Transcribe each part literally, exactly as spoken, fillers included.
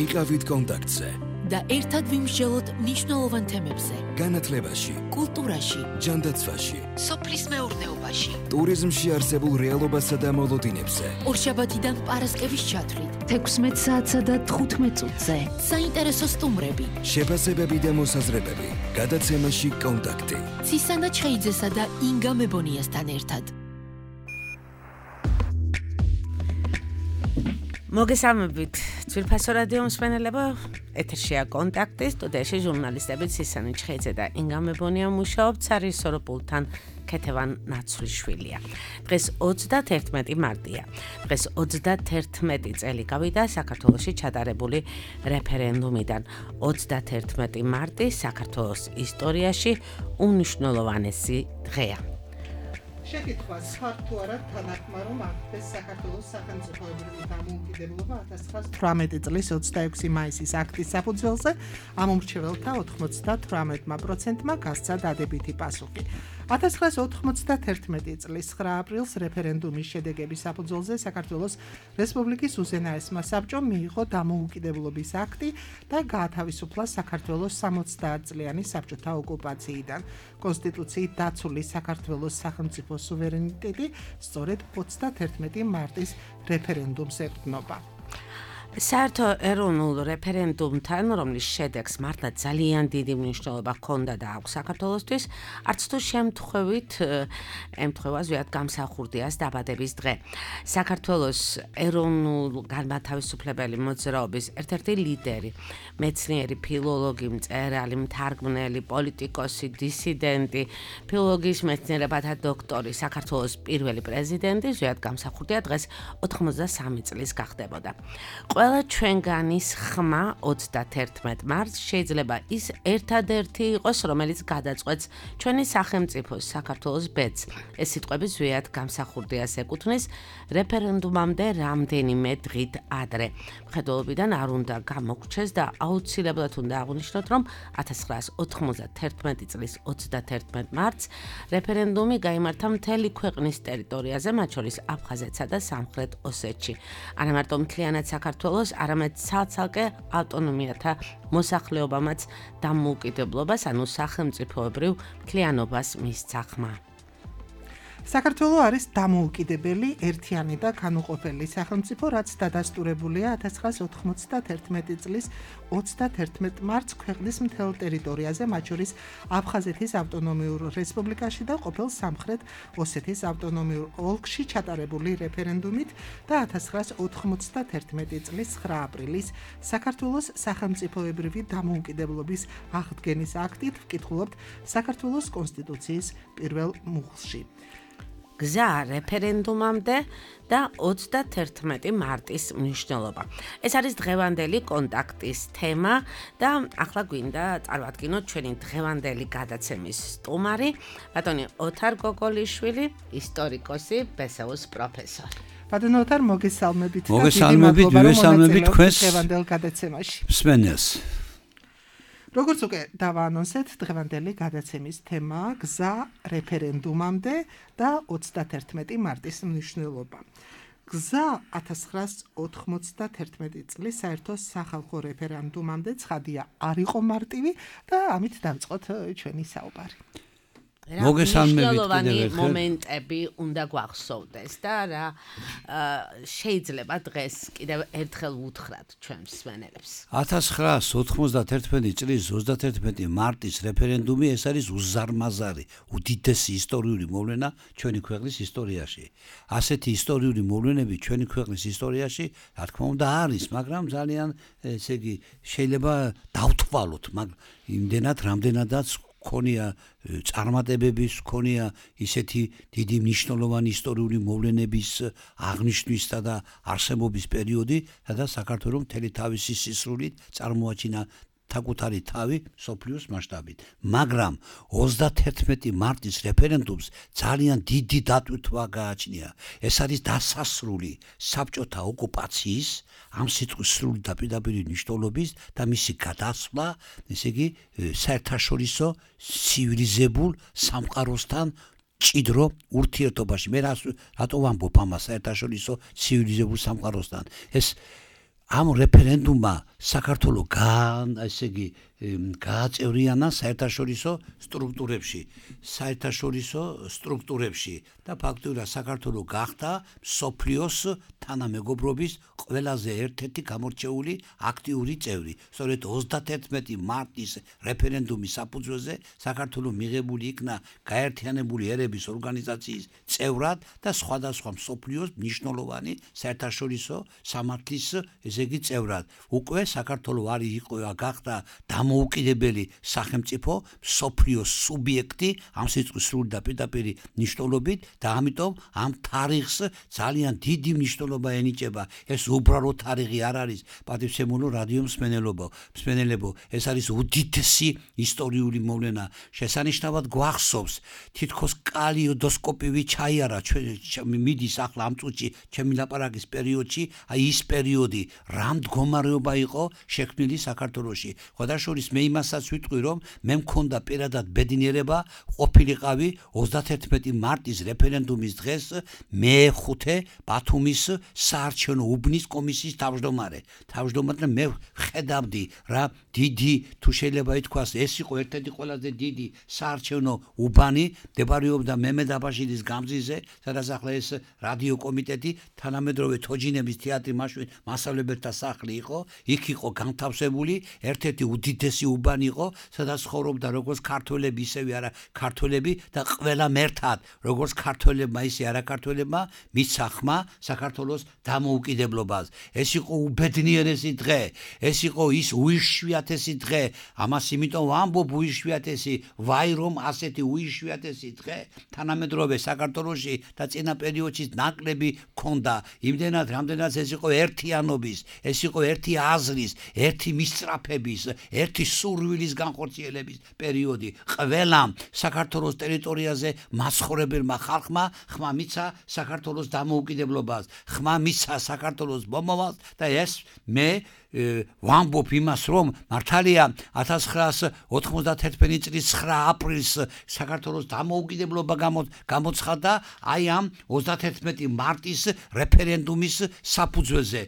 იყავით კონტაქტზე და ერთად ვიმსჯელოთ მნიშვნელოვან თემებზე. განათლებაში, კულტურაში, ჯანდაცვაში, სოფლის მეურნეობაში, ტურიზმში არსებულ რეალობასა და მოლოდინებზე. ორშაბათიდან პარასკევის ჩათვლით, თექვსმეტ საათსა და თხუთმეტ წუთზე. საინტერესო სტუმრები, შეფასებები და მოსაზრებები. გადაცემაში კონტაქტი. ცისანა ჩხეიძესა და ინგა მებონიასთან ერთად. მოგესალმებით, ძვირფასო რადიო მსმენელებო, ეთერშია კონტაქტი, სტუდიაში ჟურნალისტები ცისანა ჩხეიძე და ინგა მებონია მუშაობთ სარისორო პულტთან ქეთევან ნაცვლიშვილია. დღეს ოცდაათერთმეტი მარტია. დღეს ოცდაათერთმეტი წელი გავიდა საქართველოში ჩატარებული რეფერენდუმიდან. ოცდაათერთმეტი მარტი საქართველოს ისტორიაში უნიშნულოვანესი დღეა. შეკითხვა სვართო არა თანახმა რომ აღდეს საქართველოს სახელმწიფოებრივი დამოუკიდებლობა ათას ცხრაასი თვრამეტი წლის ოცდაექვსი მაისის აქტის საფუძველზე ამ უმრჩეველთა ოცდათვრამეტი პროცენტმა გასცა დადებითი პასუხი. ათას ცხრაასი ოთხმოცდათერთმეტი წლის ცხრა აპრილს რეფერენდუმის შედეგების საფუძველზე საქართველოს რესპუბლიკის უზენაესმა საბჭომ მიიღო დამოუკიდებლობის აქტი და გაათავისუფლა საქართველოს სამოცდაათ წლიანი საბჭოთა ოკუპაციიდან. კონსტიტუციით დაცული საქართველოს სახელმწიფო სუვერენიტეტი სწორედ ოცდაათერთმეტი მარტის რეფერენდუმს ეყრდნობა. საერთო ეროვნულ რეფერენდუმთან, რომლის შედეგს მართლა ძალიან დიდი მნიშვნელობა ჰქონდა და აქვს საქართველოსთვის, არც თუ შემთხვევით ემთხვევა ზვიად გამსახურდიას დაბადების დღე. საქართველოს ეროვნულ განმათავისუფლებელი მოძრაობის ერთ-ერთი ლიდერი, მეცნიერი, ფილოლოგი, მწერალი, მთარგმნელი, პოლიტიკოსი, დისიდენტი, ფილოლოგიის მეცნიერებათა დოქტორი, საქართველოს პირველი პრეზიდენტი ზვიად გამსახურდია დღეს ოთხმოცდასამი წლის გახდებოდა. ყველა ჩვენგანის ხმა ოცდაათერთმეტ მარტს შეიძლება ის ერთადერთი იყოს, რომელიც გადაწყვეტს ჩვენი სახელმწიფოს საქართველოს ბედს. ეს სიტყვები ზვიად გამსახურდიას ეკუთვნის რეფერენდუმამდე რამდენიმე დღით ადრე. მხედველობიდან არ უნდა გამოგრჩეს და აუცილებლად უნდა აღვნიშნოთ, რომ ათას ცხრაასი ოთხმოცდათერთმეტი წლის ოცდაათერთმეტ მარტს რეფერენდუმი გაიმართა მთელი ქვეყნის ტერიტორიაზე, მათ შორის აფხაზეთსა და სამხრეთ ოსეთში. არა მარტო მთლიანად საქართველოს არამედ ცალ-ცალკე ავტონომიათა მოსახლეობამაც დამოუკიდებლობას, ანუ სახელმწიფოებრივ მთლიანობას მისცა ხმა. საქართველო არის დამოუკიდებელი, ერთიანი და განუყოფელი სახელმწიფო, რაც დადასტურებულია ათას ცხრაასი ოთხმოცდათერთმეტი წლის ოცდაათერთმეტ მარტს ქვეყნის მთელ ტერიტორიაზე, მათ შორის აფხაზეთის ავტონომიურ რესპუბლიკაში და ყოფილ სამხრეთ ოსეთის ავტონომიურ ოლქში ჩატარებული რეფერენდუმით და ათას ცხრაასი ოთხმოცდათერთმეტი წლის ცხრა აპრილის საქართველოს სახელმწიფოებრივი დამოუკიდებლობის აღდგენის აქტით ვკითხულობთ საქართველოს კონსტიტუციის პირველ მუხლში. გზა რეფერენდუმამდე და ოცდაათერთმეტი მარტის მნიშვნელობა. ეს არის დღევანდელი კონტაქტის თემა და ახლა გვინდა წარმოვადგინოთ ჩვენი დღევანდელი გადაცემის სტუმარი, ბატონი ოთარ გოგოლიშვილი, ისტორიკოსი, ბესეუს პროფესორი. ბატონო ოთარ, მოგესალმებით და მოგესალმებით, მოგესალმებით თქვენს დღევანდელ გადაცემაში. მსმენელს. როგორც უკვე დავაანონსეთ, დღევანდელი გადაცემის თემაა გზა რეფერენდუმამდე და ოცდაათერთმეტი მარტის მნიშვნელობა. გზა ათას ცხრაასი ოთხმოცდათერთმეტი წლის საერთო სახალხო რეფერენდუმამდე ცხადია არ იყო მარტივი და ამით დავწყოთ ჩვენი საუბარი. მოგესალმებით მომენტები უნდა გვახსოვდეს და რა შეიძლება დღეს კიდევ ერთხელ ვუთხრათ ჩვენ მსმენელებს. ათას ცხრაასი ოთხმოცდათერთმეტი წლის ოცდაათერთმეტი მარტის რეფერენდუმი ეს არის უზარმაზარი, უდიდესი ისტორიული მოვლენა ჩვენი ქვეყნის ისტორიაში. ასეთი ისტორიული მოვლენები ჩვენი ქვეყნის ისტორიაში, რა თქმა უნდა, არის, მაგრამ ძალიან ესე იგი შეიძლება დავთვალოთ, მაგრამ იმდენად რამდენადაც ქონია წარმატებების, ქონია ისეთი დიდი მნიშვნელოვანი ისტორიული მოვლენების აღნიშვნისა და არსებობის პერიოდი, სადაც საქართველოს მთელი თავისი სისრულით წარმოაჩინა საკუთარი თავი სოფლიოს მასშტაბით. მაგრამ ოცდაათერთმეტი მარტის რეფერენდუმს ძალიან დიდი დატვირთვა გააჩნია. ეს არის დასასრული საბჭოთა ოკუპაციის, ამ სიტყვის სრული და პირდაპირი მნიშვნელობის და მისი გადასვლა, ესე იგი, საერთაშორისო ცივილიზებულ სამყაროსთან ჭიდრო ურთიერთობაში. მე რატო ვამბობ ამას საერთაშორისო ცივილიზებულ სამყაროსთან? ეს ამ რეფერენდუმმა საქართველოს გან ესე იგი გააწევრიანა საერთაშორისო სტრუქტურებში საერთაშორისო სტრუქტურებში და ფაქტობრივად საქართველოს გახდა მსოფლიოს თანამეგობრობის ყველაზე ერთ-ერთი გამორჩეული აქტიური წევრი. სწორედ ოცდათერთმეტი მარტის რეფერენდუმის საფუძველზე საქართველოს მიღებული იქნა გაერთიანებული ერების ორგანიზაციის წევრად და სხვადასხვა მსოფლიოს მნიშვნელოვანი საერთაშორისო სამართლის ესე იგი წევრად. უკვე საქართველოს არის იყო გახდა დამოუკიდებელი სახელმწიფო მსოფლიოს სუბიექტი ამ სიტყვის სრული და პირდაპირი მნიშვნელობით და ამიტომ ამ თარიღს ძალიან დიდი მნიშვნელობა ენიჭება. ეს უბრალოდ თარიღი არ არის პატივცემულო რადიო მსმენელებო, მსმენელებო, ეს არის უდიდესი ისტორიული მოვლენა. შესანიშნავად გვახსოვს თითქოს კალიოდოსკოპივი ჩაიარა მიდის ახლა ამ წუთში ჩემი ლაპარაკის პერიოდში, აი ის პერიოდი რა მდგომარეობა იყო შექმნილი საქართველოში. ხოდაშორის მე იმასაც ვიტყვი რომ მე მქონდა პირადად ბედნიერება ყოფილიყავი ოცდათერთმეტი მარტის რეფერენდუმის დღეს მეეხუთე ბათუმის საარჩევნო უბნის კომისიის თავმჯდომარე. თავმჯდომარე მე ხედავდი რა დიდი თუ შეიძლება ითქვას ეს იყო ერთ-ერთი ყველაზე დიდი საარჩევნო უბანი მდებარეობდა მემედ აბაშიძის გამზიზე, სადაც ახლა ეს რადიო კომიტეტი თანამედროვე თოჯინების თეატრი მაშინ მასწავლებელთა სახლი იყო, იქ იყო განთავსებული ერთ-ერთი უდიდესი უბანი იყო, სადაც ცხოვრობდა როგორც ქართველები ისევე არა ქართველები და ყველამ ერთად, როგორც ქართველებმა ისე არა ქართველებმა მიცა ხმა საქართველოს დამოუკიდებლობას. ეს იყო უბედნიერესი დღე, ეს იყო ის უიშვიათესი დღე, ამას იმიტომ ვამბობ უიშვიათესი, ვაი რომ ასეთი უიშვიათესი დღე თანამედროვე საქართველოში და წინა პერიოდში ნაკლები ქონდა. იმდენად რამდენად ეს იყო ერთიანობის, ეს იყო ერთი აზრის, ერთი მისწრაფების, ერთი სურვილის განხორციელების პერიოდი. ყველამ საქართველოს ტერიტორიაზე მაცხოვრებელმა ხალხმა ხმა მიცა საქართველოს დამოუკიდებლობას, ხმა მიცა საქართველოს მომავალს და ეს მე ვამბობ იმას რომ მართალია ათას ცხრაას ოთხმოცდათერთმეტი წლის ცხრა აპრილს საქართველოს დამოუკიდებლობა გამოცხადდა აი ამ ოცდათერთმეტი მარტის რეფერენდუმის საფუძველზე.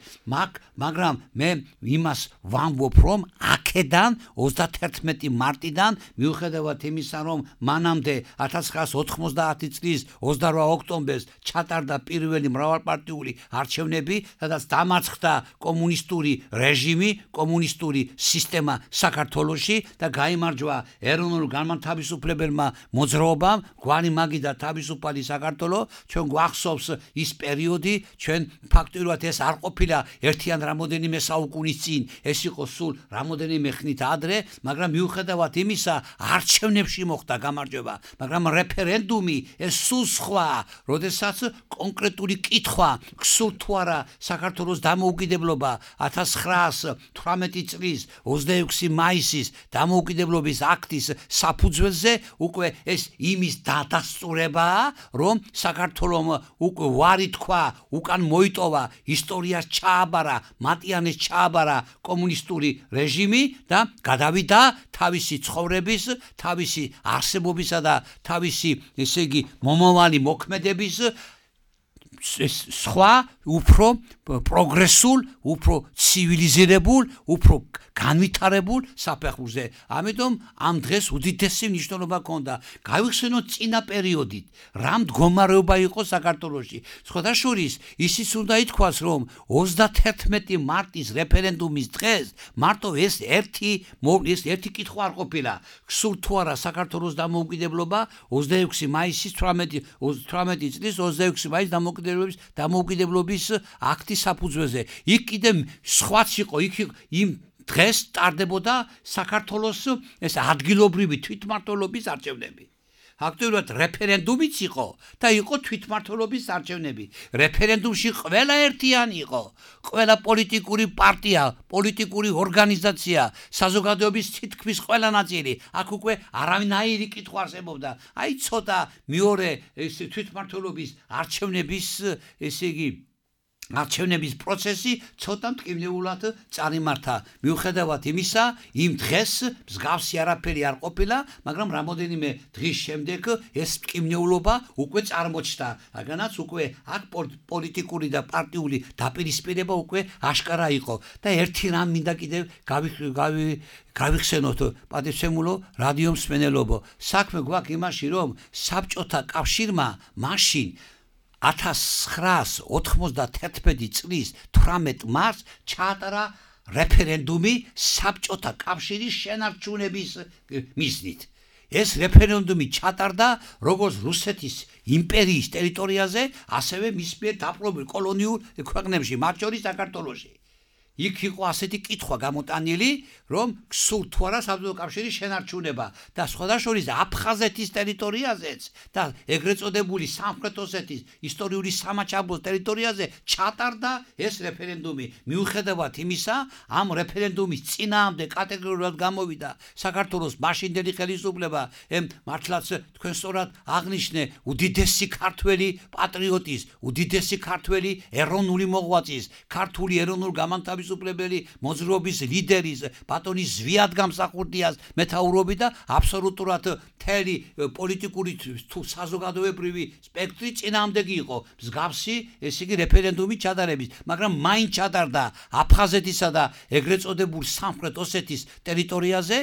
მაგრამ მე იმას ვამბობ რომ აქედან ოცდათერთმეტი მარტიდან მიუხედავად იმისა რომ მანამდე ათას ცხრაას ოთხმოცდაათი წლის ოცდარვა ოქტომბერს ჩატარდა პირველი მრავალპარტიული არჩევნები, სადაც დამარცხდა კომუნისტური რეჟიმი, კომუნისტური სისტემა საქართველოში და გაიმარჯვა ეროვნულ განმათავისუფლებელმა მოძრაობამ, გვარი მაგი და თავისუფალი საქართველო. ჩვენ გვახსოვს ის პერიოდი, ჩვენ ფაქტობრივად ეს არ ყოფილა ერთიან რამოდენიმე საუკუნის წინ, ეს იყო სულ რამოდენიმე ხნით ადრე, მაგრამ მიუხედავად იმისა არჩევნებში მოხდა გამარჯვება, მაგრამ რეფერენდუმი ეს სულ სხვა, როდესაც კონკრეტული კითხვა გსურთ თუ არა საქართველოს დამოუკიდებლობა ათას ცხრაას თვრამეტი წლის ოცდაექვსი მაისის დამოუკიდებლობის აქტის საფუძველზე უკვე ეს იმის დადასტურებაა, რომ საქართველომ უკვე ვარი თქვა, უკან მოიტოვა, ისტორიას ჩააბარა, მატიანეს ჩააბარა კომუნისტური რეჟიმი და გადავიდა თავისი ცხოვრების, თავისი არსებობისა და თავისი ესე იგი მომავალი მოქმედების სხვა უფრო პროგრესულ, უფრო ცივილიზირებულ, უფრო განვითარებულ საფეხურზე. ამიტომ ამ დღეს უდიდესი მნიშვნელობა ჰქონდა. გავიხსენოთ წინა პერიოდით, რა მდგომარეობა იყო საქართველოში. სხვადასხვის ისიც უნდა ითქვას, რომ ოცდათერთმეტი მარტის რეფერენდუმის დღეს მარტო ეს ერთი ეს ერთი კითხვა არ ყოფილა. გსურთ თუ არა საქართველოს დამოუკიდებლობა ოცდაექვსი მაისის თვრამეტი წლის ოცდაექვსი მაისის დამოუკიდებლობის დამოუკიდებლობის აქტის საფუძველზე. იქ კიდე სხვაც იყო, იქ იმ დღეს ტარდებოდა საქართველოს ეს ადგილობრივი თვითმმართველობის არჩევნები. ფაქტობრივად რეფერენდუმიც იყო და იყო თვითმმართველობის არჩევნები. რეფერენდუმში ყველა ერთიანი იყო. ყველა პოლიტიკური პარტია, პოლიტიკური ორგანიზაცია, საზოგადოების თითქმის ყველა ნაწილი. აქ უკვე არავინაირი კითხვა არსებობდა. აი ცოტა მეორე ეს თვითმმართველობის არჩევნების ესე იგი არჩევნების პროცესი ცოტა მტკივნეულად წარიმართა. მიუხედავად იმისა, იმ დღეს მსგავსი არაფერი არ ყოფილა, მაგრამ რამოდენიმე დღის შემდეგ ეს მტკივნეულობა უკვე წარმოჩნდა. რადგანაც უკვე აქ პოლიტიკური და პარტიული დაპირისპირება უკვე აშკარა იყო და ერთი რამ მინდა კიდევ გავიხსენოთ პატივცემულო რადიო მსმენელობო. საქმე გვაქვს იმაში, რომ საბჭოთა კავშირმა მაშინ ათას ცხრაას ოთხმოცდათერთმეტი წლის თვრამეტ მარტს ჩაატარა რეფერენდუმი საბჭოთა კავშირის შენარჩუნების მიზნით. ეს რეფერენდუმი ჩატარდა როგორც რუსეთის იმპერიის ტერიტორიაზე, ასევე მის მიერ დაპყრობილ კოლონიურ ქვეყნებში, მათ შორის საქართველოში. იქ იყო ასეთი კითხვა გამოტანილი, რომ გსურთ თუ არა საბჭოთა კავშირის შენარჩუნება და სხვადასხვა აფხაზეთის ტერიტორიაზეც და ეგრეთ წოდებული სამხრეთ ოსეთის ისტორიული სამაჩაბლოს ტერიტორიაზე ჩატარდა ეს რეფერენდუმი. მიუხედავად იმისა, ამ რეფერენდუმის წინააღმდეგ კატეგორიულად გამოვიდა საქართველოს მაშინდელი ხელისუფლება, ემ მართლაც თქვენ სწორად აღნიშნე უდიდესი ქართველი პატრიოტის, უდიდესი ქართველი ეროვნული მოღვაწის, ქართული ეროვნულ გამანთავისუფლებელი მოძრაობის ლიდერის ბატონი ზვიად გამსახურდიას მეთაურობით და აბსოლუტურად მთელი პოლიტიკური თუ საზოგადოებრივი სპექტრი წინააღმდეგი იყო მსგავსი ესე იგი რეფერენდუმის ჩატარების, მაგრამ მაინც ჩატარდა აფხაზეთისა და ეგრეთ წოდებულ სამხრეთ ოსეთის ტერიტორიაზე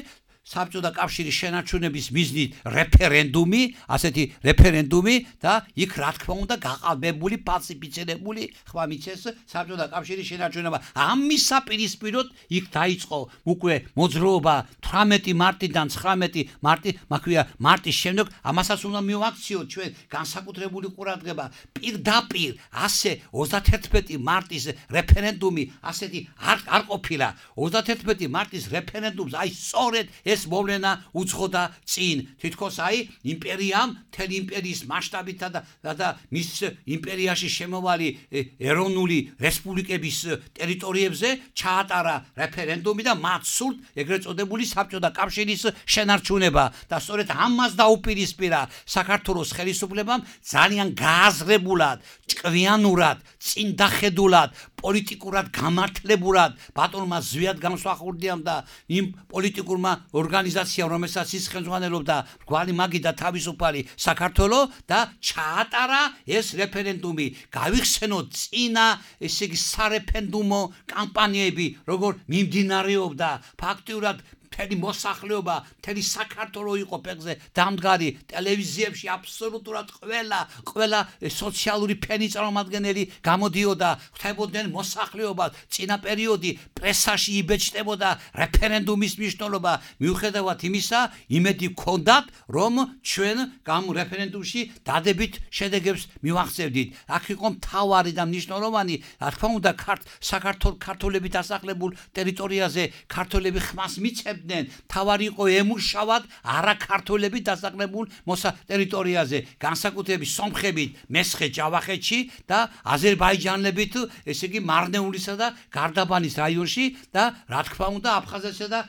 საბჭოთა კავშირის შენარჩუნების მიზნით რეფერენდუმი, ასეთი რეფერენდუმი და იქ რა თქმა უნდა გაყალბებული, ფალსიფიცირებული ხმა მიცეს საბჭოთა კავშირის შენარჩუნება. ამისა პირისპიროდ იქ დაიწყო უკვე მოძრაობა თვრამეტი მარტიდან ცხრამეტი მარტი, მაქვია მარტის შემდეგ, ამასაც უნდა მივაქციოთ ჩვენ განსაკუთრებული ყურადღება. პირდაპირ ასე ოცდათერთმეტი მარტის რეფერენდუმი ასეთი არ არ ყოფილა. ოცდათერთმეტი მარტის რეფერენდუმს აი სწორედ ეს მოვლენა უძღოდა წინ. თითქოს აი იმპერიამ, მთელი იმპერიის მასშტაბითა და და მის იმპერიაში შემოვალი ეროვნული რესპუბლიკების ტერიტორიებზე ჩაატარა რეფერენდუმი და მათ სურთ ეგრეთ წოდებული საბჭოთა კავშირის შენარჩუნება და სწორედ ამას დაუპირისპირა საქართველოს ხელისუფლებამ ძალიან გააზრებულად, ჭკვიანურად, წინდახედულად, პოლიტიკურად გამართლებულად ბატონმა ზვიად გამსახურდიამ და იმ პოლიტიკურმა ორგანიზაციამ, რომელსაც ის ხელმძღვანელობდა, მრგვალი მაგი და თავისუფალი საქართველო და ჩაატარა ეს რეფერენდუმი. გავიხსენოთ წინა ესე იგი სარეფერენდუმო კამპანიები, როგორ მიმდინარეობდა ფაქტიურად მთელი მოსახლეობა, მთელი საქართველო იყო ფეხზე დამდგარი, ტელევიზიებში აბსოლუტურად ყველა, ყველა სოციალური ფენი წარმომადგენელი გამოდიოდა, ხვდებოდნენ მოსახლეობას, წინა პერიოდი პრესაში იბეჭდებოდა რეფერენდუმის მნიშვნელობა. მიუხედავად იმისა, იმედი გქონდათ, რომ ჩვენ გამ რეფერენდუმში დადებით შედეგებს მივახცევდით. აქ იყო მთავარი და მნიშვნელოვანი, რა თქმა უნდა, საქართველოს ქართველები დასახლებულ ტერიტორიაზე ქართველები ხმას მიცემდნენ. თავარი იყო ემუშავად არაქართველები დასახლებულ მოსა ტერიტორიაზე, განსაკუთრებით სომხებით მესხე ჯავახეთში და აზერბაიჯანელებით, ესე იგი მარნეულისა და გარდაბანის რაიონში და რა თქმა უნდა აფხაზეთსა და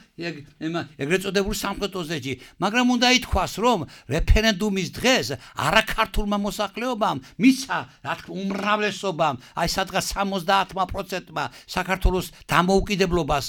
ეგრეთ წოდებულ სამხრეთ ოსეთში. მაგრამ უნდა ითქვას, რომ რეფერენდუმის დღეს არაქართულმა მოსახლეობამ მიცა, რა თქმა უნდა, უმრავლესობამ, აი სადღაც სამოცდაათმა პროცენტმა საქართველოს დამოუკიდებლობას,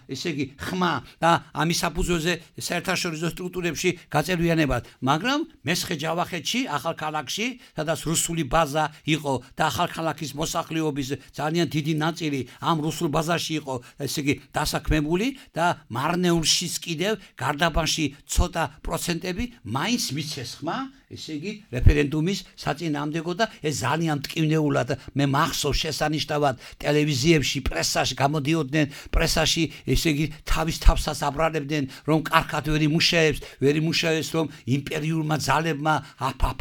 ესე იგი ხმა და ამის საფუძველზე საერთაშორისო სტრუქტურებში გაწევრიანებად, მაგრამ მესხე ჯავახეთში, ახალქალაქში, სადაც რუსული ბაზა იყო და ახალქალაქის მოსახლეობის ძალიან დიდი ნაწილი ამ რუსულ ბაზაში იყო, ესე იგი დასაქმებული და მარნეულშიც კიდევ გარდაბანში ცოტა პროცენტები მაინც მიცეს ხმა, ესე იგი რეფერენდუმის საწინააღმდეგო და ეს ძალიან მტკივნეულად მე მახსოვს შესანიშნავად ტელევიზიებში, პრესაში გამოდიოდნენ, პრესაში ესე იგი თავის თავსაც აბრალებდნენ, რომ კარგად ვერ იმუშავებს, ვერ იმუშავებს, რომ იმპერიურმა ძალებმა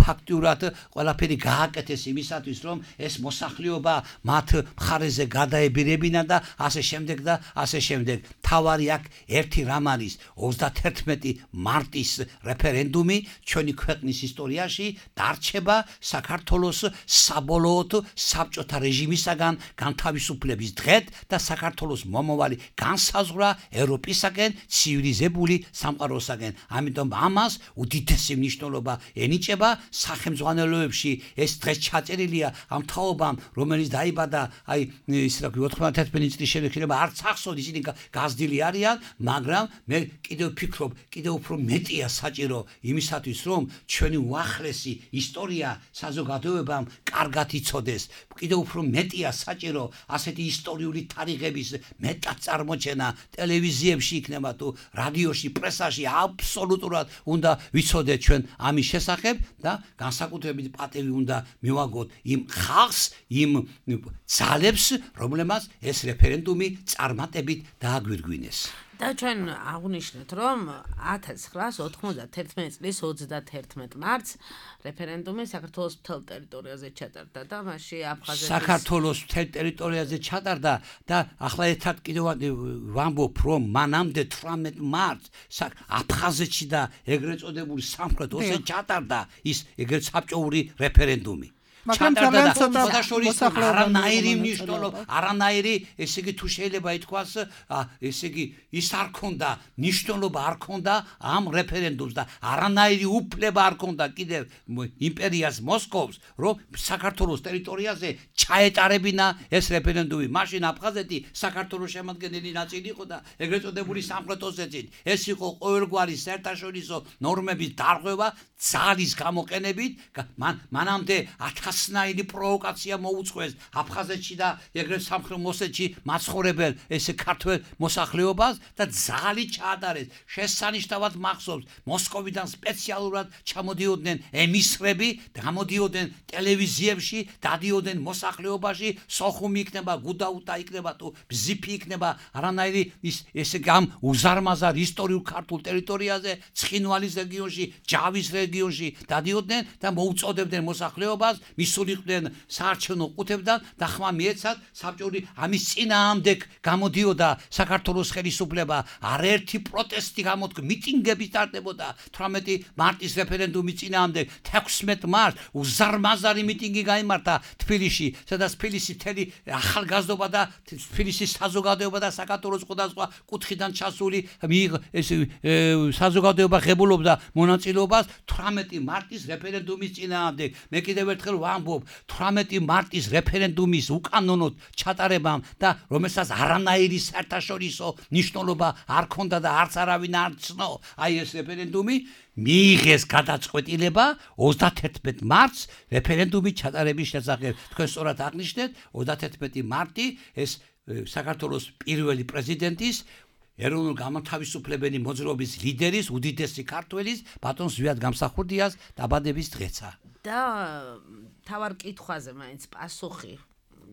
ფაქტიურად ყველაფერი გააკეთეს იმისათვის, რომ ეს მოსახლეობა მათ მხარეზე გადაებირებინა და ასე შემდეგ და ასე შემდეგ. თავარი აქ ერთი რამ არის, ოცდათერთმეტი მარტის რეფერენდუმი ჩვენი ქვეყნის ისტორიაში დარჩება საქართველოს საბოლოოდ საბჭოთა რეჟიმისაგან განთავისუფლების დღედ და საქართველოს მომავალი განსაზღვრა ევროპისაგან ცივილიზებული სამყაროსაგან. ამიტომ ამას უდიდესი მნიშვნელობა ენიჭება სახელმძღვანელოებში. ეს დღეს ჩაწერილია ამ თაობამ, რომელიც დაიბადა აი ის რა ქვია ოთხმოცდაათი წლის შემდგომ არც ახსოვს ისინი გაზრდილი არიან, მაგრამ მე კიდევ ვფიქრობ, კიდევ უფრო მეტია საჭირო იმისათვის, რომ ჩვენი უახლესი ისტორია საზოგადოებამ კარგად იცოდეს. კიდევ უფრო მეტია საჭირო ასეთი ისტორიული თარიღების მეტად წარმოჩენა ტელევიზიებში იქნება თუ რადიოში, პრესაში აბსოლუტურად უნდა ვიცოდეთ ჩვენ ამის შესახებ და განსაკუთრებით პატივი უნდა მივაგოთ იმ ხალხს, იმ ძალებს, რომლებმაც ეს რეფერენდუმი წარმატებით დააგვირგვინეს. და ჩვენ აღვნიშნეთ, რომ ათას ცხრაას ოთხმოცდაათერთმეტი წლის ოცდათერთმეტ მარტს რეფერენდუმი საქართველოს მთელ ტერიტორიაზე ჩატარდა და მასში აფხაზეთის საქართველოს მთელ ტერიტორიაზე ჩატარდა და ახლა ერთად კიდევ ვამბობ, რომ მანამდე თვრამეტ მარტს აფხაზეთში და ეგრეთ წოდებული სამხრეთ ოსეთში ჩატარდა ის ეგრეთ საბჭოური რეფერენდუმი. მაგრამ ძალიან ცოტა არანაირი მნიშვნელობა, არანაირი, ესე იგი თუ შეიძლება ითქვას, ესე იგი ის არ ქონდა, მნიშვნელობა არ ქონდა ამ რეფერენდუმს და არანაირი უფლება არ ქონდა კიდევ იმპერიას მოსკოვს, რომ საქართველოს ტერიტორიაზე ჩაეტარებინა ეს რეფერენდუმი. მაშინ აფხაზეთი საქართველოს შემადგენელი ნაწილი იყო და ეგრეთ წოდებული სამხრეთ ოსეთში ეს იყო ყოველგვარი საერთაშორისო ნორმების დარღვევა ძალის გამოყენებით. მანამდე ათასნაირი პროვოკაცია მოუწყვეს აფხაზეთში და ეგრეთ სამხრეთ ოსეთში მაცხოვრებელ ესე ქართველ მოსახლეობას და ძალი ჩაატარეს. შესანიშნავად მახსოვს, მოსკოვიდან სპეციალურად ჩამოდიოდნენ ემისრები, გამოდიოდნენ ტელევიზიებში, დადიოდნენ მოსახლეობაში, სოხუმი იქნება, გუდაუტა იქნება თუ ბზიფი იქნება, არანაირი ის ესე გამ უზარმაზარ ისტორიულ ქართულ ტერიტორიაზე, ცხინვალის რეგიონში, ჯავის რეგიონში დადიოდნენ და მოუწოდებდნენ მოსახლეობას, მისულიყვნენ საარჩევნო ყუთებიდან და ხმა მიეცათ საბჭოური ამის წინააღმდეგ გამოდიოდა საქართველოს ხელისუფლება, არაერთი პროტესტი გამოდგა, მიტინგები სტარტდებოდა თვრამეტი მარტის რეფერენდუმის წინააღმდეგ. თექვსმეტ მარტს უზარმაზარი მიტინგი გაიმართა თბილისში, სადაც თბილისის მთელი ახალგაზრდობა და თბილისის საზოგადოება და საქართველოს სხვადასხვა კუთხიდან ჩასული ეს საზოგადოება ღებულობდა მონაწილეობას თვრამეტი მარტის რეფერენდუმის წინააღმდეგ. მე კიდევ ერთხელ ვამბობ, თვრამეტი მარტის რეფერენდუმის უკანონოდ ჩატარებამ და რომელსაც არანაირი საერთაშორისო მნიშვნელობა არ ქონდა და არც არავინ არ ცნო, აი ეს რეფერენდუმი მიიღეს გადაწყვეტილება ოცდათერთმეტ მარტს რეფერენდუმის ჩატარების შესახებ. თქვენ სწორად აღნიშნეთ, ოცდათერთმეტი მარტი ეს საქართველოს პირველი პრეზიდენტის ეროვნულ გამათავისუფლებელი მოძრაობის ლიდერის, უდიდესი ქართველის, ბატონ ზვიად გამსახურდიას დაბადების დღეცა. და თავარ კითხვაზე მაინც პასუხი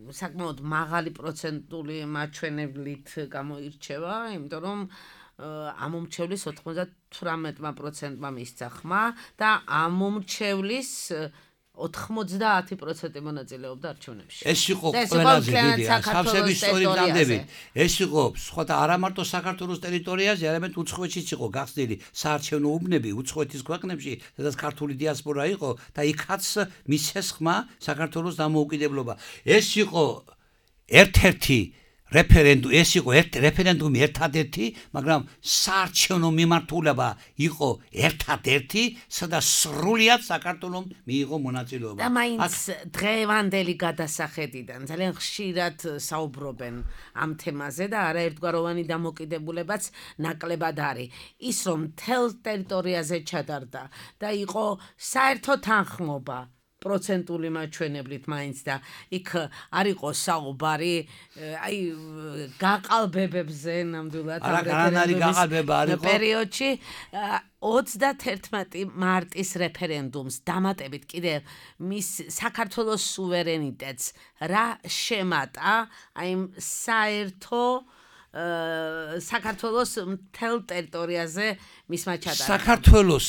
საკმაოდ მაღალი პროცენტული მაჩვენებლით გამოირჩევა, იმიტომ რომ ამომრჩევლის ოცდათვრამეტ პროცენტმა მისცა ხმა და ამომრჩევლის ოთხმოცდაათი პროცენტი მონაწილეობდა არჩევნებში. ეს იყო ყველაზე დიდი სამსების ისტორიის ნამდვილად. ეს იყო სხვათა არა მარტო საქართველოს ტერიტორიაზე, არამედ უცხოეთშიც იყო გახსნილი საარჩევნო უბნები უცხოეთის ქვეყნებში, სადაც ქართული დიასპორა იყო და იქაც მისცეს ხმა საქართველოს დამოუკიდებლობა. ეს იყო ერთ-ერთი რეფერენდუმი, ეს იყო ერთ რეფერენდუმი ერთადერთი, მაგრამ საარჩევნო მიმართულება იყო ერთადერთი, სადაც სრულიად საქართველომ მიიღო მონაწილეობა. და მაინც დღევანდელი გადასახედიდან ძალიან ხშირად საუბრობენ ამ თემაზე და არაერთგვაროვანი დამოკიდებულებაც ნაკლებად არის. ის რომ მთელ ტერიტორიაზე ჩატარდა და იყო საერთო თანხმობა პროცენტული მაჩვენებლით მაინც და იქ არ იყო საუბარი აი გაყალბებებზე ნამდვილად ამ რეფერენდუმის პერიოდში ოცდათერთმეტი მარტის რეფერენდუმს დამატებით კიდევ მის საქართველოს სუვერენიტეტს რა შემატა აი საერთო საქართველოს მთელ ტერიტორიაზე მისმა ჩატარებამ. საქართველოს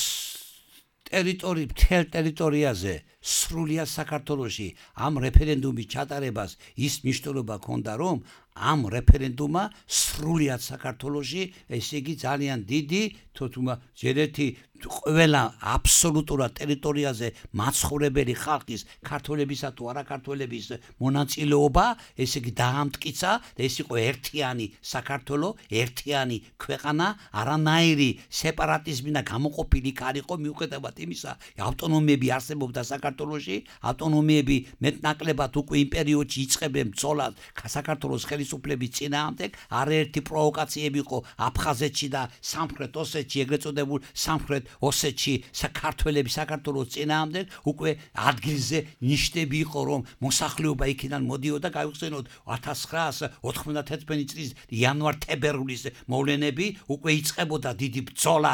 ტერიტორი მთელ ტერიტორიაზე სრულიად საქართველოში ამ რეფერენდუმის ჩატარებას ის მნიშვნელობა ჰქონდა, რომ ამ რეფერენდუმმა სრულიად საქართველოში, ესე იგი ძალიან დიდი, თუმცა ჯერეთი ყველა აბსოლუტურად ტერიტორიაზე მაცხოვრებელი ხალხის ქართველებისა თუ არაქართველების მონაწილეობა, ესე იგი დაამტკიცა და ეს იყო ერთიანი საქართველო, ერთიანი ქვეყანა, არანაირი სეპარატიზმი და გამოყოფილი არ იყო მიუხედავად იმისა, ავტონომიები არსებობდა საქართველოში, ავტონომიები მეტნაკლებად უკვე იმ პერიოდში იწყებენ ბრძოლას საქართველოს ხელისუფლების წინააღმდეგ, არაერთი პროვოკაციები იყო აფხაზეთში და სამხრეთ ოსეთში, ეგრეთ წოდებულ სამხრეთ ოსეთში საქართველოს საქართველოს წინააღმდეგ უკვე ადგილზე ნიშნები იყო რომ მოსახლეობა იქიდან მოდიოდა გაიხსენოთ ათას ცხრაასი ოთხმოცდათერთმეტი წლის იანვარ-თებერვლის მოვლენები უკვე იწყებოდა დიდი ბრძოლა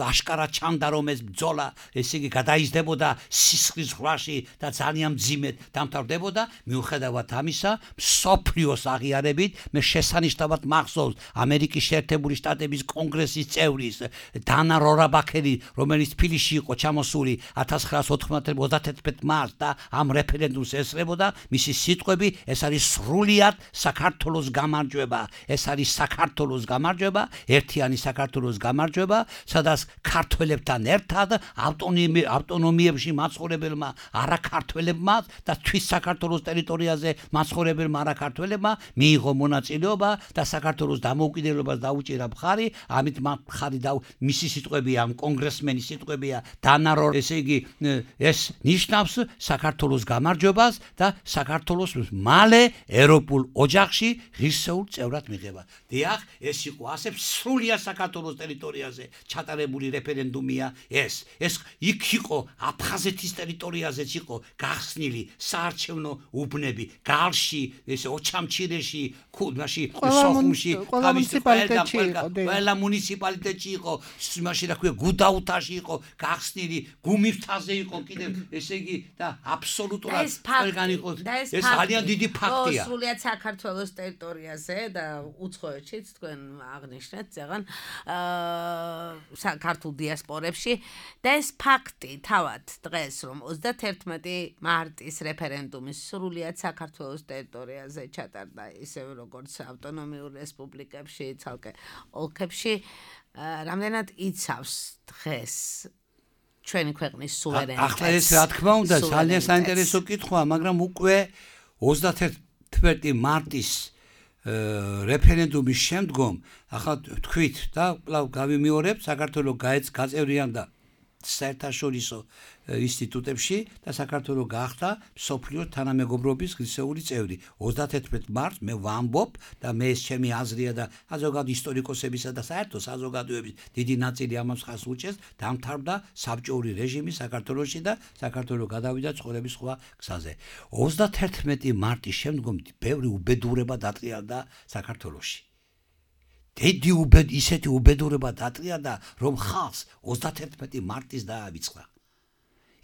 აშკარად ჩანდა რომ ეს ბრძოლა ესე იგი გადაიზრდებოდა სისხლის ზღვაში და ძალიან მძიმედ დამთავრდებოდა მიუხედავად ამისა მსოფლიოს აღიარებით მე შესანიშნავად მახსოვს ამერიკის შეერთებული შტატების კონგრესის წევრის დანა რორაბაქერი რომელიც თბილისში იყო ჩამოსული ათას ცხრაასი ოცდათერთმეტ მარტს და ამ რეფერენდუმს ესწრებოდა მისი სიტყვები ეს არის სრულიად საქართველოს გამარჯვება ეს არის საქართველოს გამარჯვება ერთიანი საქართველოს გამარჯვება სადაც ქართველებთან ერთად ავტონომი ავტონომიებში მაცხოვრებელმა არაქართველებმა და თვით საქართველოს ტერიტორიაზე მაცხოვრებელმა არაქართველებმა მიიღო მონაწილეობა და საქართველოს დამოუკიდებლობას დაუჭირა მხარი ამით მხარი და მისი სიტყვებია ამ კონგრესმენის სიტყვებია დანარო ესე იგი ეს ნიშნავს საქართველოს გამარჯვებას და საქართველოს მალე ევროპულ ოჯახში ღირსეულ წევრად მიღება. დიახ, ეს იყო ასე სრულიად საქართველოს ტერიტორიაზე ჩატარებული რეფერენდუმია ეს. ეს იქ იყო აფხაზეთის ტერიტორიაზეც იყო გახსნილი საარჩევნო უბნები, გალში, ესე ოჩამჩირეში, ქუდმაში, სოხუმში, ყველა მუნიციპალიტეტში იყო, მაშინ რა ქვია, გუდაუთაში იყო გახსნილი, გუმისთაზე იყო კიდევ, ესე იგი და აბსოლუტურად ყველგან იყო. ეს ძალიან დიდი ფაქტია. სრულიად საქართველოს ტერიტორიაზე და უცხოეთშიც თქვენ აღნიშნეთ ზეგან საქართველოს დიასპორებში და ეს ფაქტი თავად დღეს რომ ოცდათერთმეტი მარტის რეფერენდუმი სრულიად საქართველოს ტერიტორიაზე ჩატარდა ისევე როგორც ავტონომიურ რესპუბლიკებში, ცალკე ოლქებში, რამდენად იცავს დღეს ჩვენი ქვეყნის სუვერენიტეტს. ახლა ეს რა თქმა უნდა ძალიან საინტერესო კითხვაა, მაგრამ უკვე ოცდათერთმეტი მარტის რეფერენდუმის შემდგომ ახლა თქვით და კვლავ გავიმეორებ საქართველოს გაწევრიანდა საერთაშორისო ინსტიტუტებში და საქართველოს გახდა მსოფლიო თანამეგობრობის ღირსეული წევრი. ოცდათერთმეტ მარტს მე ვამბობ და მე ეს ჩემი აზრია და საზოგადო ისტორიკოსებისა და საერთო საზოგადოების დიდი ნაწილი ამას ხას უჭერს, დამთავრდა საბჭოური რეჟიმი საქართველოში და საქართველოს გადავიდა ცხოვრების სხვა გზაზე. ოცდათერთმეტი მარტის შემდგომ ბევრი უბედურება დატრიალდა საქართველოში. დიდი უბედ ისეთი უბედურება დატრიალდა რომ ხალხს ოცდათერთმეტი მარტის დაავიწყდა.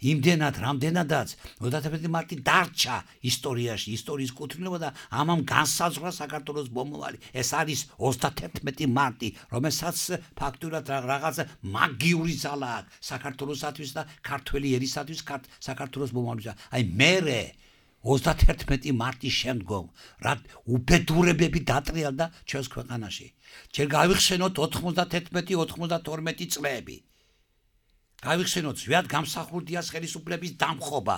იმდენად რამდენადაც ოცდათერთმეტი მარტი დარჩა ისტორიაში, ისტორიის კუთვნილება და ამამ განსაზღვრა საქართველოს მომავალი. ეს არის ოცდათერთმეტი მარტი, რომელსაც ფაქტურად რაღაც მაგიური ძალა აქვს საქართველოსათვის და ქართველი ერისათვის საქართველოს მომავალს. აი მერე ოცდათერთმეტი მარტის შემდგომ რა უბედურებები დატრიალდა ჩვენს ქვეყანაში. ჯერ გავიხსენოთ ოთხმოცდათერთმეტი ოცდათორმეტი წლები. გავიხსენოთ ზვიად გამსახურდიას ხელისუფლების დამხობა.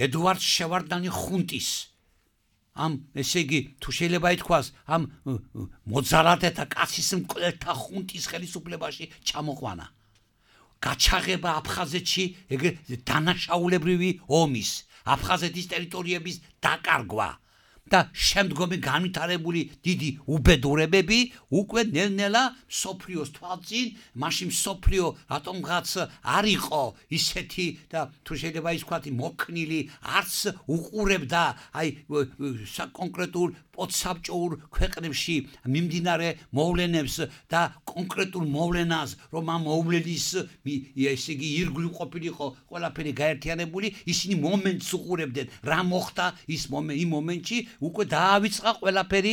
ედუარდ შევარდანი ხუნტის ამ ესე იგი თუ შეიძლება ითქვას ამ მოძალადეთა კაცის მკვლელთა ხუნტის ხელისუფლებაში ჩამოყვანა. გაჩაღება აფხაზეთში ეგრე დანაშაულებრივი ომის აფხაზეთის ტერიტორიების დაკარგვა და შემდგომი განვითარებული დიდი უბედურებები უკვე ნელ-ნელა სოფლიოს თვალწინ, მაშინ სოფლიო რატომღაც არ იყო ისეთი და თუ შეიძლება ითქვათ მოქნილი, არც უყურებდა აი საკონკრეტულ პოდსაბჭოურ ქვეყნებში მიმდინარე მოვლენებს და კონკრეტულ მოვლენას, რომ ამ მოვლენის ესე იგი ირგვლივ ყოფილიყო ყველაფერი გაერთიანებული, ისინი მომენტს უყურებდნენ, რა მოხდა ის იმ მომენტში უკვე დაავიწყა ყველაფერი,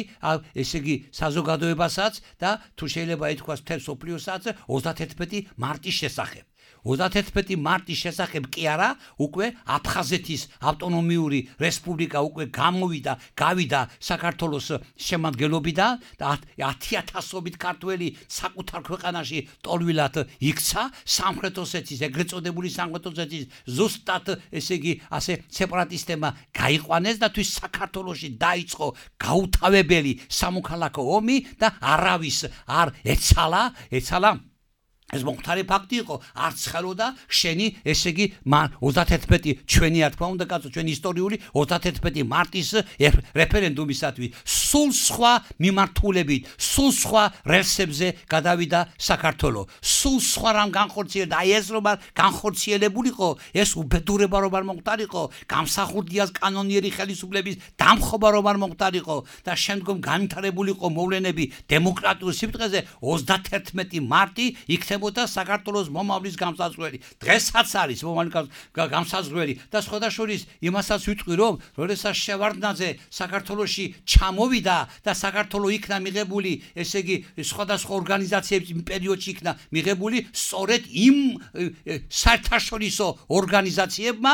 ესე იგი საზოგადოებასაც და თუ შეიძლება ითქვას მთელ სოფლიოსაც ოცდათერთმეტი მარტის შესახებ. ოცდაათერთმეტი მარტის შესახებ კი არა, უკვე აფხაზეთის ავტონომიური რესპუბლიკა უკვე გამოვიდა, გავიდა საქართველოს შემადგენლობიდან და ათი ათასობით ქართველი საკუთარ ქვეყანაში ტოლვილად იქცა სამხრეთ ოსეთის, ეგრეთ წოდებული სამხრეთ ოსეთის ზუსტად ესე იგი ასე სეპარატისტებმა გაიყვანეს და თვის საქართველოში დაიწყო გაუთავებელი სამოქალაქო ომი და არავის არ ეცალა, ეცალა ეს მომხდარი ფაქტი იყო, არც ხელოდა შენი ესე იგი ოცდაათერთმეტი ჩვენი რა თქმა უნდა კაცო ჩვენი ისტორიული ოცდაათერთმეტი მარტის რეფერენდუმისათვის სულ სხვა მიმართულებით, სულ სხვა რელსებზე გადავიდა საქართველო. სულ სხვა რამ განხორციელდა, აი ეს რომ განხორციელებულიყო, ეს უბედურება რომ არ მომხდარიყო, გამსახურდიას კანონიერი ხელისუფლების დამხობა რომ არ მომხდარიყო და შემდგომ განვითარებულიყო მოვლენები დემოკრატიულ სიბრტყეზე ოცდაათერთმეტი მარტი იქნება და საქართველოს მომავლის გამსაზღვრელი. დღესაც არის მომავლის გამსაზღვრელი და სხვადასხვა იმასაც ვიტყვი რომ როდესაც შევარდნაძე საქართველოში ჩამოვიდა და საქართველო იქნა მიღებული, ესე იგი სხვადასხვა ორგანიზაციების პერიოდში იქნა მიღებული სწორედ იმ საერთაშორისო ორგანიზაციებმა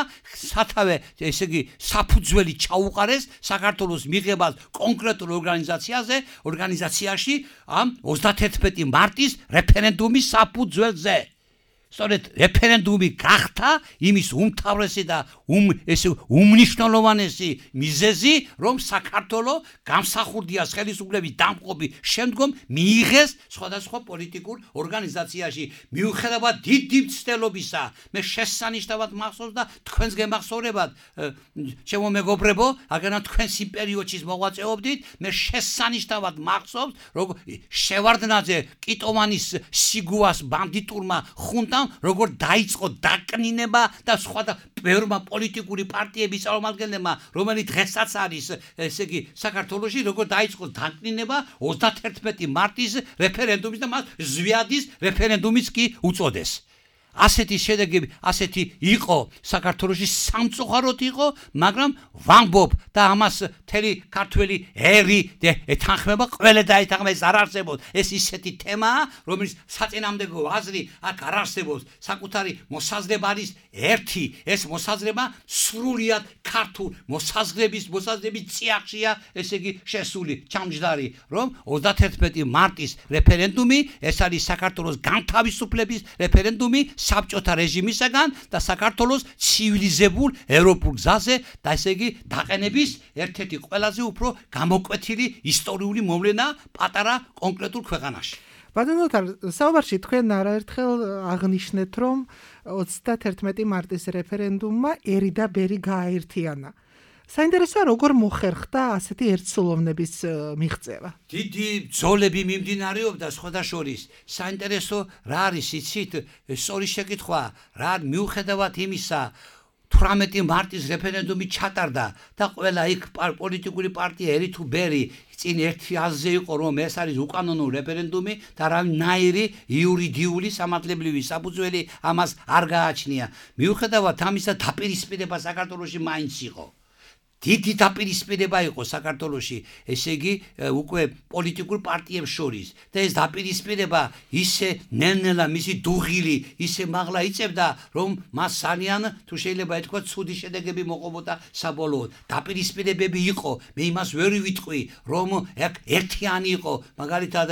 სათავე ესე იგი საფუძველი ჩაუყარეს საქართველოს მიღებას კონკრეტულ ორგანიზაციაზე, ორგანიზაციაში ამ ოცდაათერთმეტი მარტის რეფერენდუმის საფუძველზე. სწორედ რეფერენდუმი გახდა იმის უმთავრესი და უმ ესე უმნიშვნელოვანესი მიზეზი, რომ საქართველო გამსახურდიას ხელისუფლების დამყობის შემდგომ მიიღეს სხვადასხვა პოლიტიკურ ორგანიზაციაში. მიუხედავად დიდი მცდელობისა, მე შესანიშნავად მახსოვს და თქვენს გემახსოვრებად, ჩემო მეგობრებო, აგენა თქვენს იმ პერიოდში მოღვაწეობდით, მე შესანიშნავად მახსოვს, რომ შევარდნაძე კიტოვანის სიგუას ბანდიტურმა ხუნტამ როგორ დაიწყო დაკნინება და სხვა და ბევრმა პოლიტიკური პარტიების წარმომადგენლებმა, რომელიც დღესაც არის, ესე იგი, საქართველოში, როგორ დაიწყო დაკნინება ოცდაათერთმეტი მარტის რეფერენდუმის და მას ზვიადის რეფერენდუმიც კი უწოდეს. ასეთი შედეგები, ასეთი იყო საქართველოში სამწუხაროდ იყო, მაგრამ ვამბობ და ამას მთელი ქართველი ერი ეთანხმება, ყველა დაეთანხმება, ეს არ არსებობს. ეს ისეთი თემაა, რომელიც საწინააღმდეგო აზრი აქ არ არსებობს. საკუთარი მოსაზრება არის ერთი, ეს მოსაზრება სრულიად ქართულ მოსაზრების, მოსაზრების წიაღშია, ესე იგი შესული, ჩამჯდარი, რომ ოცდაათერთმეტი მარტის რეფერენდუმი, ეს არის საქართველოს განთავისუფლების რეფერენდუმი საბჭოთა რეჟიმისაგან და საქართველოს ცივილიზებულ ევროპულ გზაზე და ესე იგი დაყენების ერთ-ერთი ყველაზე უფრო გამოკვეთილი ისტორიული მოვლენა პატარა კონკრეტულ ქვეყანაში. ბატონო თარ, საუბარში თქვენ არაერთხელ აღნიშნეთ, რომ ოცდაათერთმეტი მარტის რეფერენდუმმა ერი და ბერი გააერთიანა. საინტერესოა როგორ მოხერხდა ასეთი ერთსულოვნების მიღწევა. დიდი ბრძოლები მიმდინარეობდა სხვადასხვა. საინტერესო რა არის იცით, სწორი შეკითხვა, რა მიუხედავად იმისა თვრამეტი მარტის რეფერენდუმი ჩატარდა და ყველა იქ პოლიტიკური პარტია ერი თუ ბერი წინ ერთი აზრზე იყო, რომ ეს არის უკანონო რეფერენდუმი და რაიმნაირი იურიდიული სამართლებრივი საფუძველი ამას არ გააჩნია. მიუხედავად ამისა დაპირისპირება საქართველოში მაინც იყო. დიდი დაპირისპირება იყო საქართველოში, ესე იგი უკვე პოლიტიკურ პარტიებს შორის და ეს დაპირისპირება ისე ნელ-ნელა მისი დუღილი ისე მაღლა იწევდა, რომ მას ძალიან თუ შეიძლება ეთქვა ცუდი შედეგები მოყობოდა საბოლოოდ. დაპირისპირებები იყო, მე იმას ვერ ვიტყვი, რომ ერთიანი იყო, მაგალითად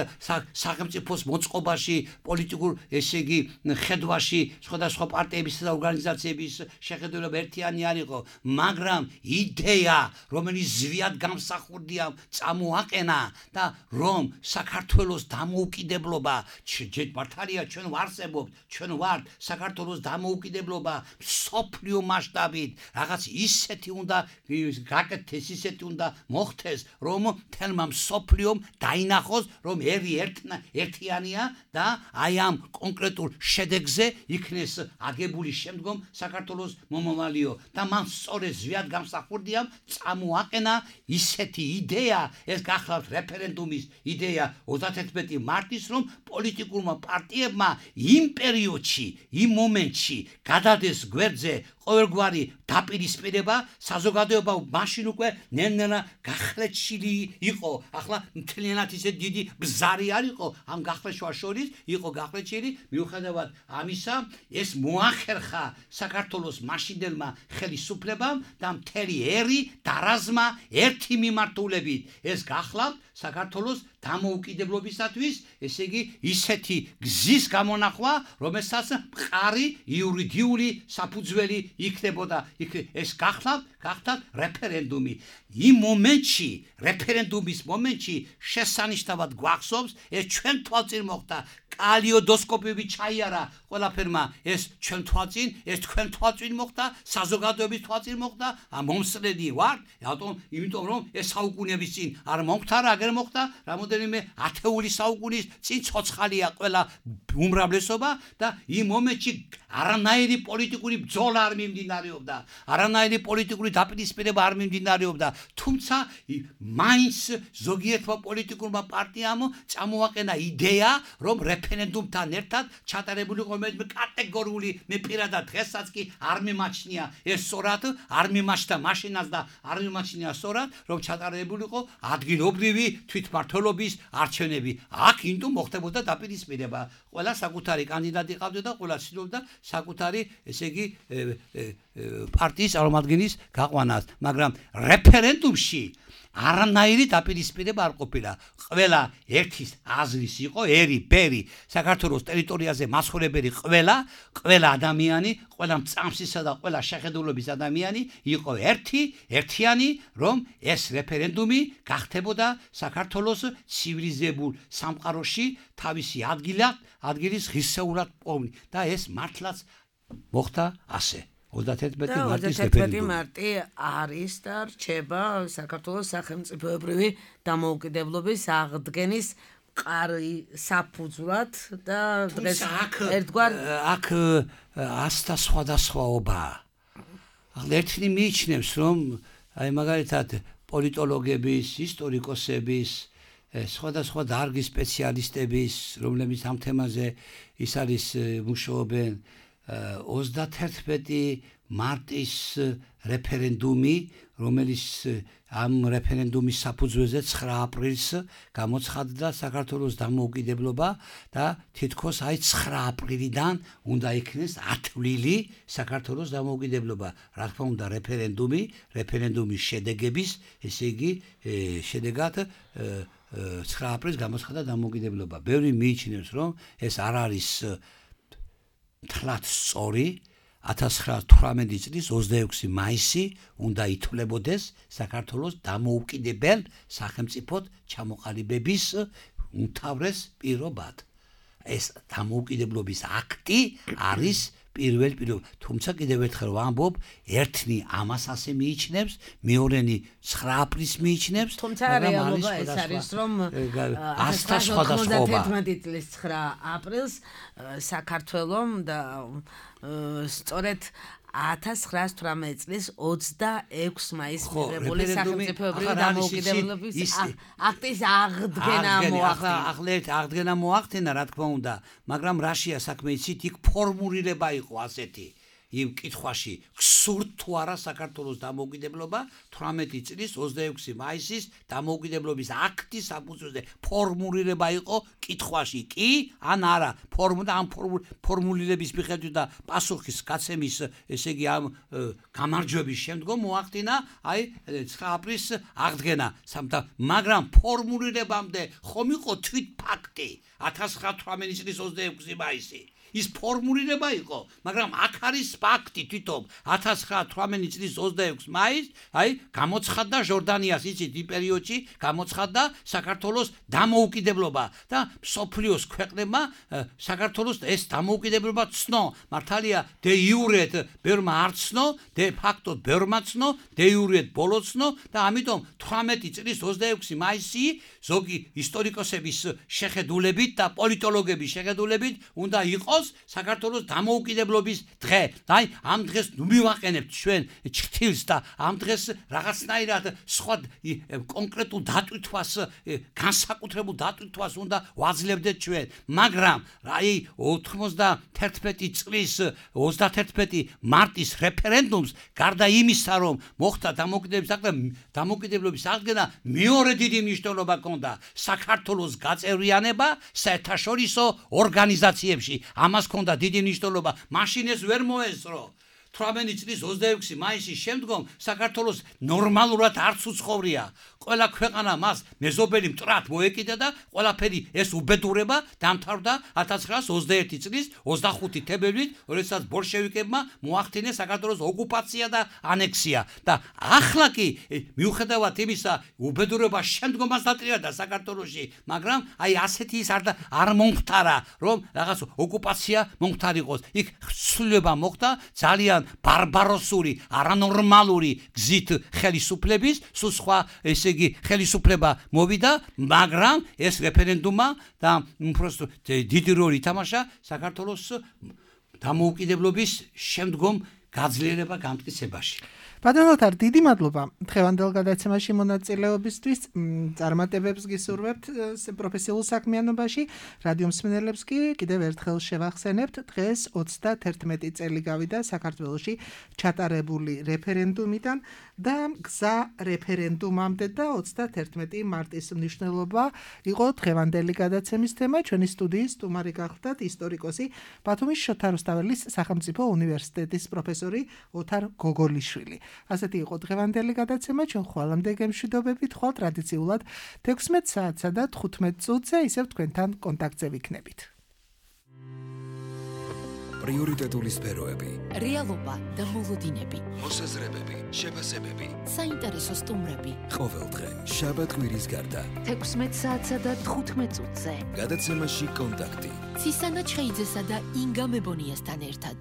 სახელმწიფოს მოწყობაში, პოლიტიკურ ესე იგი ხედვაში სხვადასხვა პარტიებისა და ორგანიზაციების შეხედულება ერთიანი არ იყო, მაგრამ იდეა რომელიც ზვიად გამსახურდია წამოაყენა და რომ საქართველოს დამოუკიდებლობა მართალია ჩვენ ვარსებობთ, ჩვენ ვართ საქართველოს დამოუკიდებლობა მსოფლიო მასშტაბით რაღაც ისეთი უნდა გაკეთდეს, ისეთი უნდა მოხდეს, რომ თელმა მსოფლიომ დაინახოს, რომ ერი ერთიანია და აი ამ კონკრეტულ შედეგზე იქნეს აგებული შემდგომ საქართველოს მომავალიო და მან სწორედ ზვიად გამსახურდია წამოაყენა ისეთი იდეა, ეს გახლავთ რეფერენდუმის იდეა ოცდაათერთმეტი მარტის, რომ პოლიტიკურმა პარტიებმა იმ პერიოდში, იმ მომენტში გადადეს გვერდზე ყოველგვარი დაპირისპირება საზოგადოება მაშინ უკვე ნენელა გახლეჩილი იყო ახლა მთლიანად ისე დიდი ბზარი არ იყო ამ გახლეშვა შორის იყო გახლეჩილი მიუხედავად ამისა ეს მოახერხა საქართველოს მაშინდელმა ხელისუფლებამ და მთელი ერი დარაზმა ერთი მიმართულებით ეს გახლავთ საქართველოს დამოუკიდებლობისათვის ესე იგი ისეთი გზის გამონახვა რომელსაც მყარი იურიდიული საფუძველი იქნებოდა ეს გახლავთ გახდათ რეფერენდუმი იმ მომენტში რეფერენდუმის მომენტში შესანიშნავად გვახსოვს ეს ჩვენ თვალწინ მოხდა კალიოდოსკოპები ჩაიარა ყველაფერმა ეს ჩვენ თვალწინ ეს თქვენ თვალწინ მოხდა საზოგადოების თვალწინ მოხდა მომსწრედი ვარ რატომ იმიტომ რომ ეს საუკუნეების წინ არ მომხდა რა აგერ მოხდა რამოდენიმე ათეული საუკუნის წინ ცოცხალია ყველა უმრავლესობა და იმ მომენტში არანაირი პოლიტიკური ბრძოლა არ მიმდინარეობდა არანაირი პოლიტიკური დაპირისპირება არ მიმდინარეობდა თუმცა მაინც ზოგიერთმა პოლიტიკურმა პარტიამ წამოაყენა იდეა რომ რეფერენდუმთან ერთად ჩატარებული ყომეთ კატეგორიული მე პირადად დღესაც კი არ მიმაჩნია ეს სწორად არ მიმაჩნდა მაშინაც და არ მიმაჩნია სწორად რომ ჩატარებულიყო ადგილობრივი თვითმმართველობის არჩევნები აქ ინდუ მოხდებოდა დაპირისპირება ყველა საკუთარი კანდიდატი ყავდა და ყველა ცდილობდა საკუთარი ესე იგი პარტიის წარმომადგენლის გაყვანას მაგრამ რეფერენდუმში არანაირი დაპირისპირება არ ყოფილა ყველა ერთის აზრის იყო ერი ბერი საქართველოს ტერიტორიაზე მასხურებელი ყველა ყველა ადამიანი ყველა მწამსისა და ყველა შეხედულობის ადამიანი იყო ერთი ერთიანი რომ ეს რეფერენდუმი გახდებოდა საქართველოს ცივილიზებულ სამყაროში თავისი ადგილად ადგილის ღირსეულად პოვნი და ეს მართლაც მოხდა ასე ოცდაათი მარტი არის და რჩება საქართველოს სახელმწიფოებრივი დამოუკიდებლობის აღდგენის მყარი საფუძვლად და დღეს ერთგვარ აქ ასთა სხვადასხვაობაა. ახლა ერთნი მიიჩნევს რომ აი მაგალითად პოლიტოლოგების, ისტორიკოსების, სხვადასხვა დარგის სპეციალისტების, რომლებიც ამ თემაზე ის არის მუშაობენ ოცდაათი მარტის რეფერენდუმი, რომელიც ამ რეფერენდუმის საფუძველზე ცხრა აპრილს გამოცხადდა საქართველოს დამოუკიდებლობა და თითქოს აი ცხრა აპრილიდან უნდა იქნეს ათვლილი საქართველოს დამოუკიდებლობა. რა თქმა უნდა რეფერენდუმი, რეფერენდუმის შედეგების, ესე იგი შედეგად ცხრა აპრილს გამოცხადდა დამოუკიდებლობა. ბევრი მიიჩნევს რომ ეს არ არის თლად სწორი ათას ცხრაასი თვრამეტი წლის ოცდაექვსი მაისი უნდა ითვლებოდეს საქართველოს დამოუკიდებელ სახელმწიფოდ ჩამოყალიბების უმთავრეს პირობად. ეს დამოუკიდებლობის აქტი არის პირველ პირველ თუმცა კიდევ ერთხელ ვამბობ ერთნი ამას ასე მიიჩნევს მეორენი ცხრა აპრილს მიიჩნევს თუმცა რეალობა ეს არის რომ ასთა სხვადასხვაობა თერთმეტი წლის ცხრა აპრილს საქართველოს და სწორედ ათას ცხრაასი თვრამეტი წლის ოცდაექვსი მაისს მიღებული სახელმწიფოებრივი დამოუკიდებლობის აქტის აღდგენა მოახდინა. ახლა ერთ აღდგენა მოახდინა რა თქმა უნდა, მაგრამ რაშია საქმე იცით, იქ ფორმულირება იყო ასეთი იმ კითხვაში გსურთ თუ არა საქართველოს დამოუკიდებლობა თვრამეტი წლის ოცდაექვსი მაისის დამოუკიდებლობის აქტის საფუძველზე ფორმულირება იყო კითხვაში კი ან არა ფორმულა ამ ფორმულირების მიხედვით და პასუხის გაცემის ესე იგი ამ გამარჯვების შემდგომ მოახდინა აი ცხრა აპრილს აღდგენა სამთა მაგრამ ფორმულირებამდე ხომ იყო თვით ფაქტი ათას ცხრაასი თვრამეტი წლის ოცდაექვსი მაისი ის ფორმულირება იყო, მაგრამ აქ არის ფაქტი თვითონ ათას ცხრაასი თვრამეტი წლის ოცდაექვსი მაისს, აი, გამოცხადდა ჟორდანიას იცით იმ პერიოდში, გამოცხადდა საქართველოს დამოუკიდებლობა და მსოფლიოს ქვეყნებმა საქართველოს ეს დამოუკიდებლობა ცნო. მართალია დე იურეთ ბევრმა არ ცნო, დე ფაქტოდ ბევრმა ცნო, დე იურეთ ბოლო ცნო და ამიტომ თვრამეტი წლის ოცდაექვსი দেড় মাইসি ზოგი ისტორიკოსების შეხედულებით და პოლიტოლოგების შეხედულებით უნდა იყოს საქართველოს დამოუკიდებლობის დღე. აი, ამ დღეს ნუ მივაყენებთ ჩვენ ჩრდილს და ამ დღეს რაღაცნაირად სხვა კონკრეტულ დატვირთვას, განსაკუთრებულ დატვირთვას უნდა ვაძლევდეთ ჩვენ. მაგრამ აი ოთხმოცდაათერთმეტი წლის ოცდაათერთმეტი მარტის რეფერენდუმს გარდა იმისა, რომ მოხდა დამოუკიდებლობის აღდგენა, დამოუკიდებლობის აღდგენა მეორე დიდი მნიშვნელობა ჰქონდა საქართველოს გაწევრიანება საერთაშორისო ორგანიზაციებში. ამას ჰქონდა დიდი მნიშვნელობა. მაშინ ეს ვერ მოესწრო. თვრამეტი წლის ოცდაექვსი მაისის შემდგომ საქართველოს ნორმალურად არც უცხოვრია. ყველა ქვეყანა მას მეზობელი მტრად მოეკიდა და ყველაფერი ეს უბედურება დამთავრდა ათას ცხრაასი ოცდაერთი წლის ოცდახუთი თებერვლით, როდესაც ბოლშევიკებმა მოახდინეს საქართველოს ოკუპაცია და ანექსია. და ახლა კი მიუხედავად იმისა, უბედურება შემდგომაც დატრიალდა საქართველოში, მაგრამ აი ასეთი ის არ არ მომხდარა, რომ რაღაც ოკუპაცია მომხდარიყოს. იქ ცვლილება მოხდა ძალიან ბარბაროსური, არანორმალური გზით ხელისუფლების, სულ სხვა ესე იგი ხელისუფლება მოვიდა, მაგრამ ეს რეფერენდუმა და უბრალოდ დიდი როლი ითამაშა საქართველოს დამოუკიდებლობის შემდგომ გაძლიერება გამტკიცებაში. ბატონო თარ, დიდი მადლობა დღევანდელ გადაცემაში მონაწილეობისთვის. წარმატებებს გისურვებთ პროფესიულ საქმიანობაში. რადიო მსმენელებს კი კიდევ ერთხელ შევახსენებთ, დღეს ოცდაათერთმეტი წელი გავიდა საქართველოში ჩატარებული რეფერენდუმიდან და გზა რეფერენდუმამდე და ოცდაათერთმეტი მარტის მნიშვნელობა იყო დღევანდელი გადაცემის თემა. ჩვენი სტუდიის სტუმარი გახლდათ ისტორიკოსი, ბათუმის შოთა რუსთაველის სახელმწიფო უნივერსიტეტის პროფესორი ოთარ გოგოლიშვილი. ასეთი იყო დღევანდელი გადაცემა. ჩვენ ხვალამდე გემშვიდობებით, ხვალ ტრადიციულად თექვსმეტ საათსა და თხუთმეტ წუთზე ისევ თქვენთან კონტაქტზე ვიქნებით. პრიორიტეტული სფეროები, რეალობა და მოლოდინები, მოსაზრებები, შეფასებები, საინტერესო სტუმრები. ყოველდღე შაბათ-კვირის გარდა თექვსმეტ საათსა და თხუთმეტ წუთზე. გადაცემაში კონტაქტი. ცისანა ჩხეიძესა და ინგა მებონიასთან ერთად.